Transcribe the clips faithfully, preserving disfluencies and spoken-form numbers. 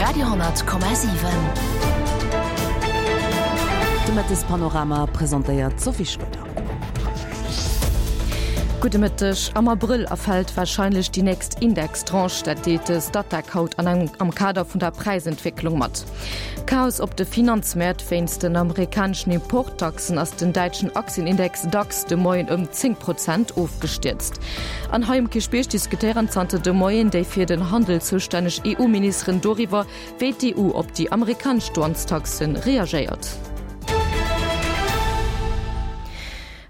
Radio honnert Komma siwen. De Mëttespanorama presentéiert d'Sophie Schröder. Gudde Mëtteg. Am Abrëll erfält warscheinlech déi nächst Indextranche, dat deelt de Statec haut an engem am Kader vun der Präisentwécklung mat. Chaos op de Finanzmäert, Wéinst den amerikaneschen Importtaxen ass den däitschen Aktienindex DAX de Moien ëm zéng Prozent ofgestierzt. An hei um Kierchbierg diskutéieren zanter de Moien déi fir den Handel zoustänneg E U-Ministeren doriwwer, wéi d'E U op déi amerikanesch Douanestaxe reagéiert.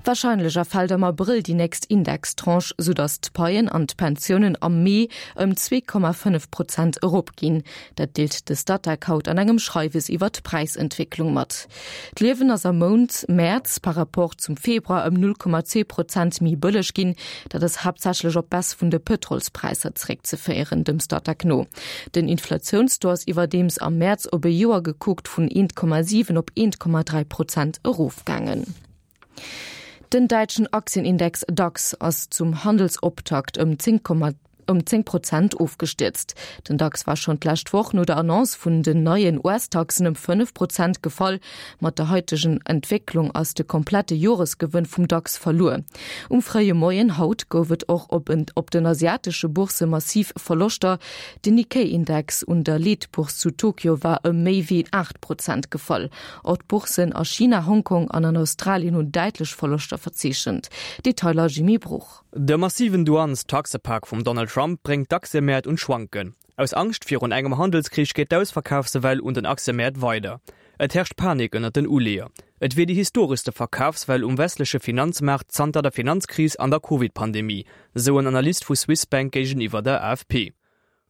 Warscheinlech erfält am Abrëll déi nächst Indextranche, soudatt d'Paien an d'Pensiounen am Mee ëm zwee Komma fënnef Prozent eropginn. Dat deelt de Statec haut an engem Schreiwes iwwer d'Präisentwécklung mat. D'Liewen ass am Mount Mäerz par Rapport zum Februar ëm null Komma zwee Prozent méi bëlleg ginn. Dat ass haaptsächlech op d'Baisse vun de Pëtrolspräisser zeréckzeféieren, dem Statec no. Den Inflatiounstaux ass iwwerdeems am Mäerz op e Joer gekuckt vun eent Komma siwen op eent Komma dräi Prozent erofgaangen. Den däitschen Aktienindex DAX ass zum Handelsoptakt ëm zéng Komma ëm zéng Prozent ofgestierzt. Den DAX war schonn d'lescht Woch no der Annonce vun den neien U S-Taxen ëm fënnef Prozent gefall. Mat der haitegen Entwécklung ass de komplette Joresgewënn vum DAX verluer. Um fréie Moien haut gouf et och op op den asiatesche Boursse massiv Verloschter. Den Nikkei-Index un der Leetbourse zu Tokio war ëm méi wéi aacht Prozent gefall. Och d'Bourssen a China, Hongkong an an Australien hunn däitlech Verloschter verzeechent. Detailer Jimmy Bruch. De massiven Douanes-Taxepak vum Donald Trump bréngt d'Aktiemäert un d'Schwanken. Aus Angscht virun engem Handelskrich geet d'Ausverkafswell un den Aktiemäert weider. Et herrscht Panik ënnert den Uleeër. Et wier déi historeschste Verkafswell um westleche Finanzmaart zanter der Finanzkris an der Covid-Pandemie, sou en Analyst vu Swiss Bank géigeniwwer der A F P.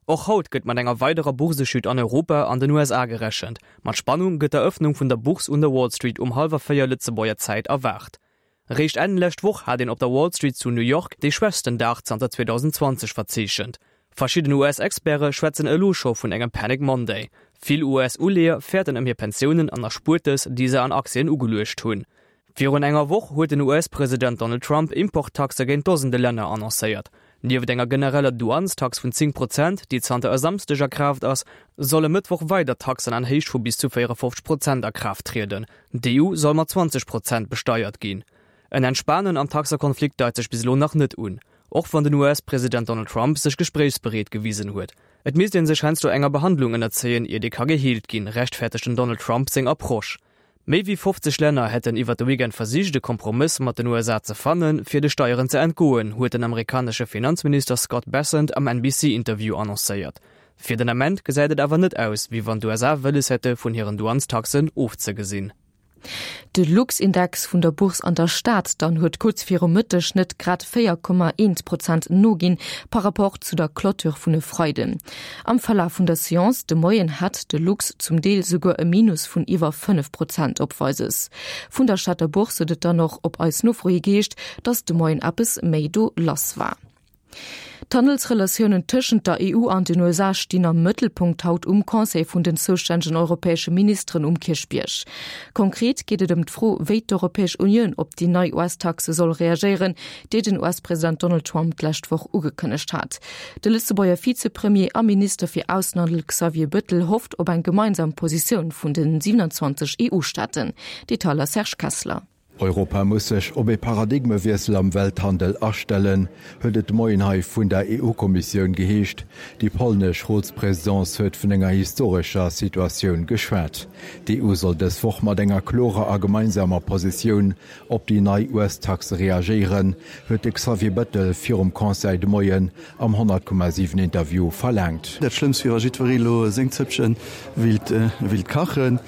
Och haut gëtt mat enger weiderer Boursechute an Europa an den U S A gerechent. Mat Spannung gëtt d'Erëffnung vun der Bourse un der Wall Street um hallwer véier Lëtzebuerger Zäit erwaart. Réischt Enn lescht Woch hat een op der Wall Street zu New York dee schwächsten Dag zanter zweedausenzwanzeg verzeechent. Verschidden U S-Experte schwätzen elo scho vun engem Panic Monday. Vill U S-Uleeër fäerten ëm hir Pensiounen an Erspuertes, déi se an Aktien ugeluecht hunn. Virun enger Woch huet den U S-President Donald Trump Importtaxe géint Dosende Länner annoncéiert. Nieft enger genereller Douanestax vun zéng Prozent, déi zanter e Samschdeg a Kraaft ass, solle Mëttwoch weider Taxen an Héicht vu bis zu véierefofzeg Prozent a Kraaft trieden. D'E U soll mat zwanzeg Prozent besteiert ginn. En Entspanen am Taxekonflikt deit sech bis elo nach net un, och wann den U S-President Donald Trump sech gespréichsbereet gewisen huet. Et misst ee sech heiansdo enger Behandlung ënnerzéien, ier déi ka geheelt ginn, rechtfäerdegt den Donald Trump seng Approche. Méi wéi fofzeg Länner hätten iwwer de Weekend versicht, e Kompromëss mat den U S A ze fannen, fir de Steieren ze entgoen, huet den amerikanesche Finanzminister Scott Bessent am N B C-Interview annoncéiert. Fir den Ament gesäit et awer net aus, wéi wann d'U S A wëlles hätte vun hiren Douanestaxen ofzegesinn. De Luxindex vun der Bourse an der Stad dann huet kuerz viru Mëtteg net grad véier Komma eent Prozent noginn par rapport zu der Clôture vun e Freiden. Am Verlaf vun der Seance de Moien hat de Lux zum Deel souguer e Minus vun iwwer fënnef Prozent opweises. Vun der Stater Bourse huet et dann och op eis Nofro hi geheescht, datt de Moien eppes méi do lass war. D'Handelsrelatiounen tëschent der E U an den U S A stinn am Mëttelpunkt haut um Conseil vun den zoustännegen europäesche Ministeren um Kierchbierg. Konkret geet et ëm d'Fro, wéi d'Europäesch Unioun op déi nei U S-Taxe soll reagéieren, déi den U S-President Donald Trump d'lescht Woch ugekënnegt hat. De Lëtzebuerger Vizepremier a Minister fir Aussenhandel Xavier Bettel hofft op eng gemeinsam Positioun vun den siewenundzwanzeg E U-Staaten. Detailer Serge Kessler. Europa muss sech op e Paradigmewiessel am Welthandel astellen, huet et de Moien hei vun der E U-Kommissioun geheescht. Déi polnesch Rotspresidence huet vun enger historescher Situatioun geschwat. D'E U soll dës Woch mat enger klorer a gemeinsamer Positioun op déi nei U S-Taxe reagéieren, huet de Xavier Bettel virum Conseil de Moien am honnert Komma siwen Interview verlaangt. Dat Schlëmmst wier, wa jiddweree elo seng Zëppche wéilt kachen.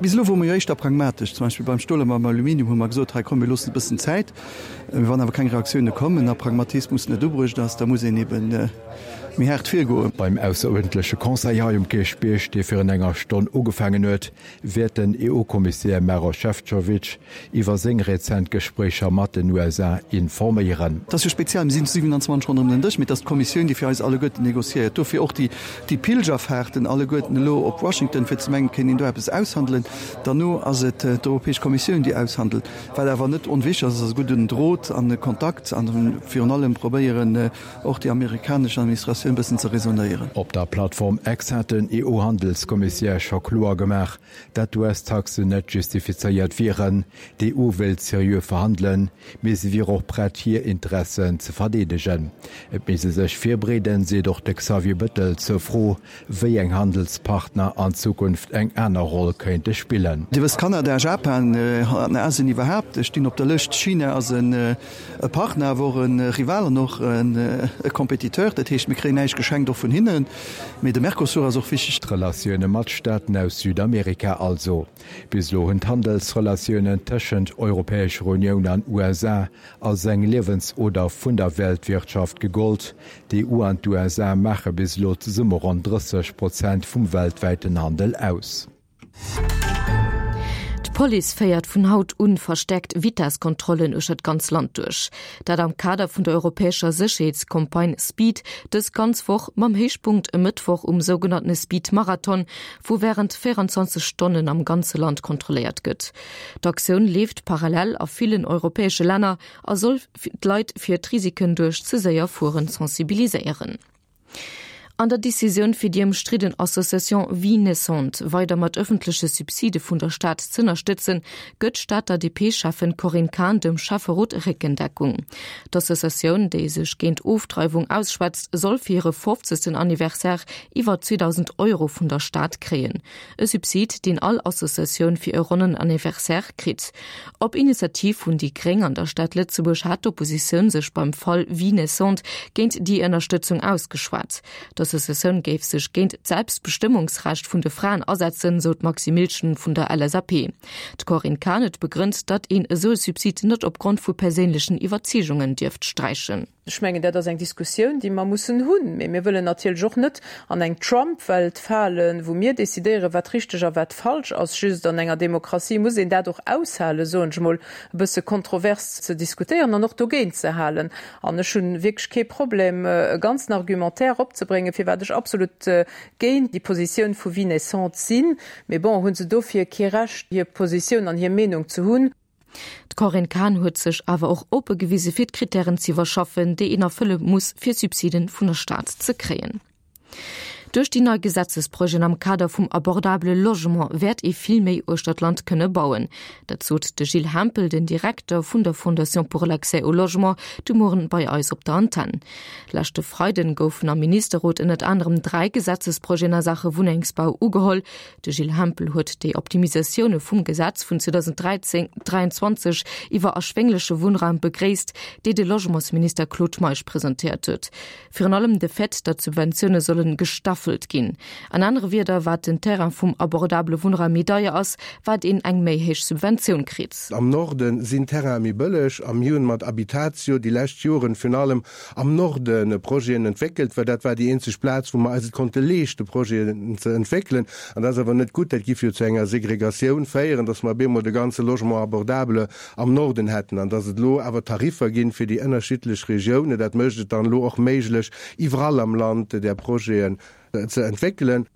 Bis elo wore mer jo éischter pragmatesch. Zum Beispill beim Stol a beim Aluminium hu mer gesot, hei komm mir loossen e bëssen Zäit. Wann awer keng Reaktioune kommen a Pragmatismus net ubruecht ass, da muss een eben méi haart virgoen. Beim ausseruerdentleche Conseil hei um Kierchbierg, dee virun enger Stonn ugefaangen huet, wäert den E U-Kommissär Maros Šefčovič iwwer seng rezent Gespréicher mat den U S A informéieren. Et ass jo speziell, mir sinn zu siewenundzwanzeg ronderëm den Dësch, mee et ass d'Kommissioun, déi fir eis alleguerten negociéiert. Dofir och déi Pilgerfahrten alleguerten elo op Washington, fir ze mengen, et kéint een do eppes aushandelen. Derno ass et d'Europäesch Kommissioun, déi aushandelt. Wat awer net onwichtig ass, ass e gudden Drot an e Kontakt an virun allem probéieren, och déi amerikanesch Administratioun Diskussioun e bëssen ze raisonnéieren. Op der Plattform X hat den EU-Handelskommissär scho kloer gemaach, dat d'US-Taxen net justifizéiert wieren. D'EU wéilt seriö verhandelen, mee se wier och prett hir Interessen ze verdeedegen. Et misst ee sech virbereeden, seet och de Xavier Bettel zur Fro, wéi eng Handelspartner an Zukunft eng aner Roll kéinte spillen. Dir wësst, Kanada, Japan an Asien iwwerhaapt stinn op der Lëscht. China ass e Partner, awer och e Rival an och e Compétiteur. Dat heescht, mir kréien näischt geschenkt, och vun hinnen. Mee de Mercosur ass och wichteg. D'Relatioune mat Staaten aus Südamerika also. Bis elo hunn d'Handelsrelatiounen tëschent Europäescher Unioun an USA als eng Liewensoder vun der Weltwirtschaft gegollt. D'EU an d'USA maache bis elo zesumme ronn drësseg Prozent vum weltwäiten Handel aus. D'Police féiert vun haut un verstäerkt Vitesskontrollen uechter d'ganz Land duerch. Dat am Kader vun der europäescher Sécherheetscampagne Speed, dës ganz Woch, mam Héichpunkt e Mëttwoch um sougenannte Speed-Marathon, wou wärend véierenzwanzeg Stonnen am ganze Land kontrolléiert gëtt. D'Aktioun leeft parallel a villen europäesche Länner a soll d'Leit fir d'Risiken duerch ze séier Fueren sensibiliséieren. An der Decisioun fir déi ëmstridden Association Vie Naissante weider mat ëffentleche Subside vun der Stad z'ënnerstëtzen, gëtt d'Stater D P-Schäffen Corinne Cahen dem Schäfferot Réckendeckung. D'Associatioun, déi sech géint Ofdreiwung ausschwätzt, soll fir hire fofzegsten Anniversaire iwwer zweedausend Euro vun der Stad kréien. E Subsid, deen all Associatioun fir e ronnen Anniversaire kritt. Op Initiativ vun déi Gréng an der Stad Lëtzebuerg hat d'Oppositioun sech beim Fall Vie Naissante géint déi Ënnerstëtzung ausgeschwat. D'Associatioun géif sech géint d'Selbstbestëmmungsrecht vun de Fraen asetzen, sou d'Maxi Milchen vun der L S A P. D'Corinne Cahen huet begrënnt, datt een esou e Subsid net opgrond vu perséinlechen Iwwerzeegungen dierft sträichen. Ech mengen, dat ass eng Diskussioun, déi mer mussen hunn. Mee mir wëllen natierlech och net an eng Trump-Welt falen, wou mir decidéieren, wat richteg a wat falsch ass. Just an enger Demokratie muss een dat och aushalen, soen ech mol, e bësse kontrovers ze diskutéieren an och dogéint ze halen. An ech hu wierklech kee Problem, e ganzen Argumentaire opzebréngen, firwat ech absolut géint déi Positioun vu Vie naissante sinn. Mee bon, hu se dofir kee Recht, hir Positioun an hir Meenung ze hunn? D'Corinne Cahen huet sech awer och oppe gewise fir d'Krittären z'iwwerschaffen, déi een erfëlle muss, fir Subsiden vun der Stad ze kréien. Duerch déi nei Gesetzesprojeten am Kader vum abordabele Logement wäert ee vill méi uechter d'Land kënne bauen. Dat sot de Gilles Hempel, den Direkter vun der Fondation pour l'accès au logement, de Mueren bei eis op der Antenn. Leschte Freiden goufen am Ministerrot ënnert anerem dräi Gesetzesprojeten a Saache Wunnengsbau ugeholl. De Gilles Hempel huet déi Optimisatioune vum Gesetz vun zweedausend dräizéng dräianzwanzeg iwwer erschwéngleche Wunnraum begréisst, déi de Logementsminister Claude Meisch presentéiert huet. Virun allem de Fait, datt d'Subventioune solle gestaffelt ginn. An anere Wierder, wat den Terrain vum abordabele Wunnraum méi deier ass, wat een eng méi héich Subventioun kritt. Am Norde sinn Terraine méi bëlleg a mir hunn mat Habitatio déi lescht Joren virun allem am Norde Projeten entwéckelt, well dat war déi eenzeg Plaz, wou mer eis et konnte leeschte Projeten ze entwéckelen. An dat ass awer net gutt, dat giff jo zu enger Segregatioun féieren, dass mer op eemol de ganze Logement abordable am Norden hätten. An dass et elo awer Tariffer ginn fir déi ënnerschiddlech Regiounen, dat mécht et dann elo och méiglech, iwwerall am Land där Projeten ze entwéckelen.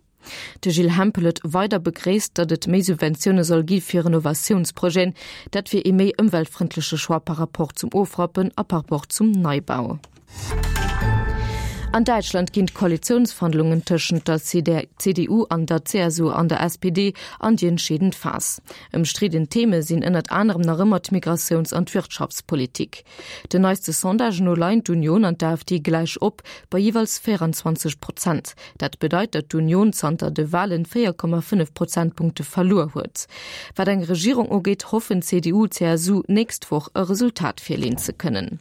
De Gilles Hempel huet weider begréisst, datt et méi Subventioune soll gi fir Renovatiounsprojeten. Dat wier ee méi ëmweltfrëndleche Choix par rapport zum Ofrappen a par rapport zum Neibau. An Däitschland ginn d'Koalitiounsverhandlungen tëschent der C D U an der C S U an der S P D an déi entscheedend Phas. Ëmstridden Theme sinn ënnert anerem nach ëmmer d'Migratiouns an d'Wirtschaftspolitik. Den neiste Sondagen no leien d'Union an d'A F D gläich op, bei jeeweils véierenzwanzeg Prozent. Dat bedeit, datt d'Union zanter de Walen véier Komma fënnef Prozentpunkte verluer huet. Wat eng Regierung ugeet, hoffen C D U, C S U nächst Woch e Resultat virleeën ze kënnen.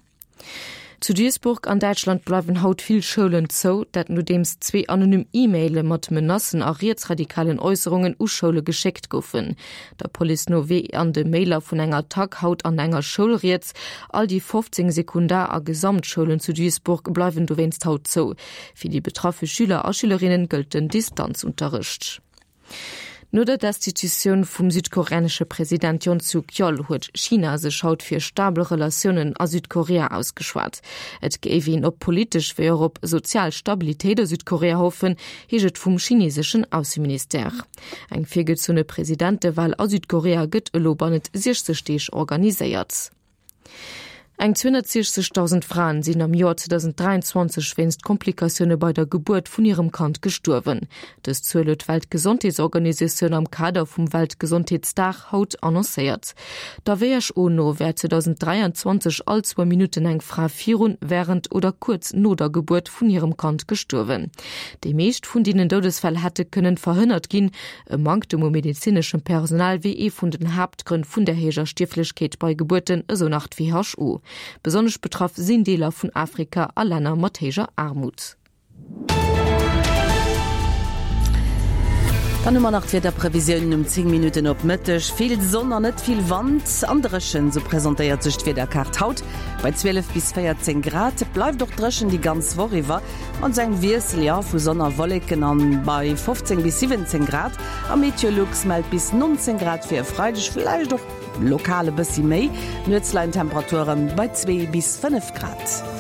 Zu Duisburg an Däitschland bleiwen haut vill Schoulen zou, dat nodeems zwee anonym E-Maile mat Menacen a rietsradikalen Äusserungen u Schoule geschéckt goufen. Der Police no wier an de Mailer vun enger Attack haut an enger Schoul rieds. All déi fofzéng Sekundar a Gesamtschoulen zu Duisburg bleiwen dowéinst haut zou. Fir déi betraffe Schüler a Schülerinne gëllt den Distanzunterricht. No der Destitutioun vum südkoreanesche President Yoon Suk Yeol huet China sech haut fir stabel Relatiounen a Südkorea ausgeschwat. Et géif een op politesch wéi och op sozial Stabilitéit a Südkorea hoffen, heescht et vum chineseschen Ausseministère. Eng virgezunne Presidentewal a Südkorea gëtt elo bannent siechzeg Deeg organiséiert. Eng zweehonnertsiechzegdausend Fraen sinn am Joer zweedausenddräianzwanzeg wéinst Komplikatioune bei der Gebuert vun hirem Kand gestuerwen. Dës Zuel huet d'Weltgesondheetsorganisatioun am Kader vum Weltgesondheetsdag haut annoncéiert. Der who no wär zweedausenddräianzwanzeg all zwou Minutten eng Fra virun, wärend oder kuerz no der Gebuert vun hirem Kand gestuerwen. Déi meescht vun deenen Doudesfäll hätte kënnen verhënnert ginn. E Manktem u medezineschem Personal wier ee vun den Haaptgrënn vun der héijer Stierflechkeet bei Gebuerten, esou nach d'WHO. Besonnesch betraff sinn Deeler vun Afrika a Länner mat héijer Aarmut. Dann hu mer nach d'Wiederprevisiounen um zéng Minutten op Mëtteg. Vill Sonn an net vill Wand an dréchen, sou presentéiert sech d'Wiederkaart haut bei zwielef bis véierzéng Grad. Et bleift och dréchen déi ganz Woch iwwer, mat esou engem Wiessel, jo, vu Sonn a Wolleken an bei fofzéng bis siwwenzéng Grad. A Meteolux mellt bis nonzéng Grad fir e Freideg, villäicht och lokal e bëssi méi. Nuets leien d'Temperature bei zwee bis fënnef Grad.